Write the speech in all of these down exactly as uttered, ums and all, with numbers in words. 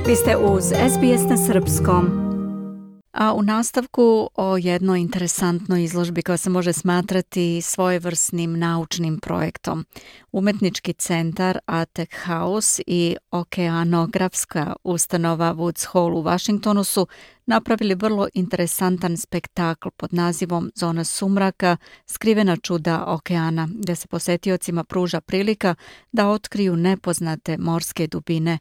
Vi ste uz S B S na srpskom. A u nastavku o jednoj interesantnoj izložbi koja se može smatrati svojevrsnim naučnim projektom. Umetnički centar Artek House i okeanografska ustanova Woods Hole u Washingtonu su napravili vrlo interesantan spektakl pod nazivom Zona sumraka, skrivena čuda okeana, gdje se posetiocima pruža prilika da otkriju nepoznate morske dubine.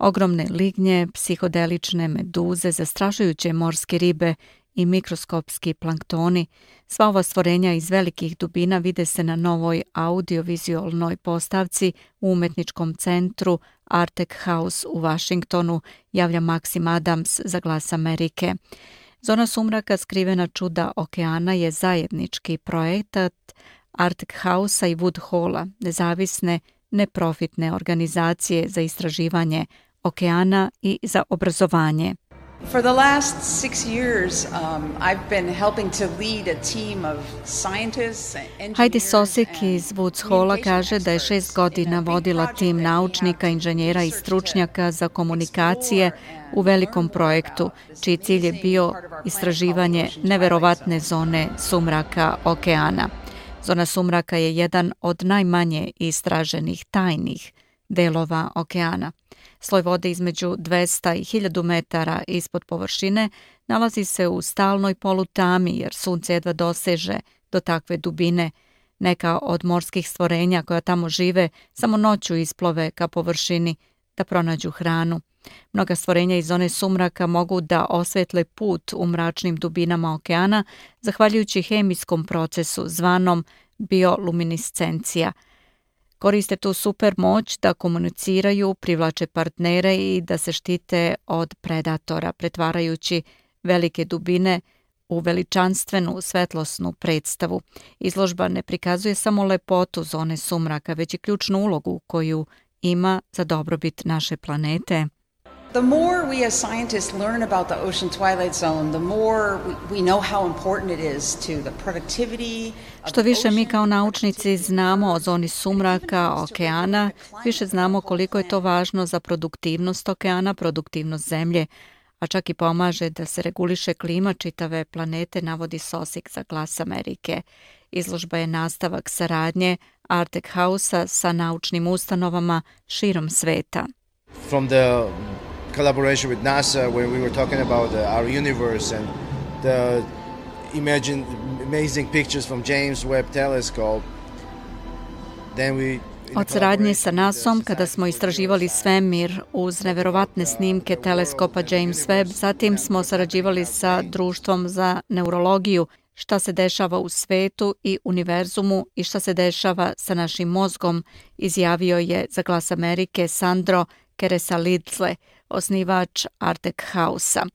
Ogromne lignje, psihodelične meduze, zastrašujuće morske ribe i mikroskopski planktoni. Sva ova stvorenja iz velikih dubina vide se na novoj audiovizualnoj postavci u umetničkom centru Artek House u Washingtonu, javlja Maxim Adams za Glas Amerike. Zona sumraka, skrivena čuda okeana je zajednički projekat Artek House-a i Wood Hole-a, nezavisne neprofitne organizacije za istraživanje okeana i za obrazovanje. For the last six years, um, I've been helping to lead a team of scientists and engineers. Heidi Sosik iz Woods Hole kaže da je šest godina vodila tim naučnika, inženjera i stručnjaka za komunikacije u velikom projektu, čiji cilj je bio istraživanje neverovatne zone sumraka okeana. Zona sumraka je jedan od najmanje istraženih tajnih delova okeana. Sloj vode između dvesta i hiljadu metara ispod površine nalazi se u stalnoj polutami jer sunce jedva doseže do takve dubine. Neka od morskih stvorenja koja tamo žive samo noću isplove ka površini da pronađu hranu. Mnoga stvorenja iz zone sumraka mogu da osvetle put u mračnim dubinama okeana zahvaljujući hemijskom procesu zvanom bioluminiscencija. Koriste tu super moć da komuniciraju, privlače partnere i da se štite od predatora, pretvarajući velike dubine u veličanstvenu svetlosnu predstavu. Izložba ne prikazuje samo lepotu zone sumraka, već i ključnu ulogu koju ima za dobrobit naše planete. The more we as scientists learn about the ocean twilight zone, the more we know how important it is to the productivity. Što više mi kao naučnici znamo o zoni sumraka okeana, više znamo koliko je to važno za produktivnost okeana, produktivnost zemlje, a čak i pomaže da se reguliše klima čitave planete, navodi Sosik za Glas Amerike. Izložba je nastavak saradnje Artek House-a sa naučnim ustanovama širom sveta. From the collaboration with NASA when we were talking about the, our universe and the imagine, amazing pictures from James Webb Telescope. Then we Od saradnje sa nasom kada smo istraživali svemir uz neverovatne snimke teleskopa James Webb, zatim smo sarađivali sa Društvom za neurologiju, šta se dešava u svetu i univerzumu i šta se dešava sa našim mozgom, izjavio je za Glas Amerike Sandro Keresalidze, osnivač Artek House-a.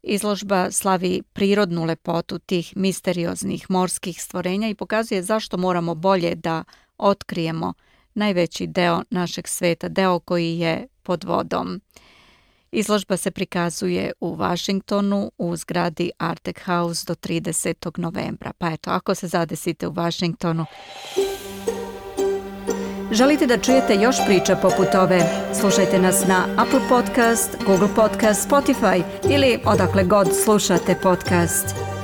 Izložba slavi prirodnu lepotu tih misterioznih morskih stvorenja i pokazuje zašto moramo bolje da otkrijemo najveći deo našeg sveta, deo koji je pod vodom. Izložba se prikazuje u Washingtonu u zgradi Artek House do tridesetog novembra. Pa eto, ako se zadesite u Washingtonu. Želite da čujete još priča poput ove? Slušajte nas na Apple Podcast, Google Podcast, Spotify ili odakle god slušate podcast.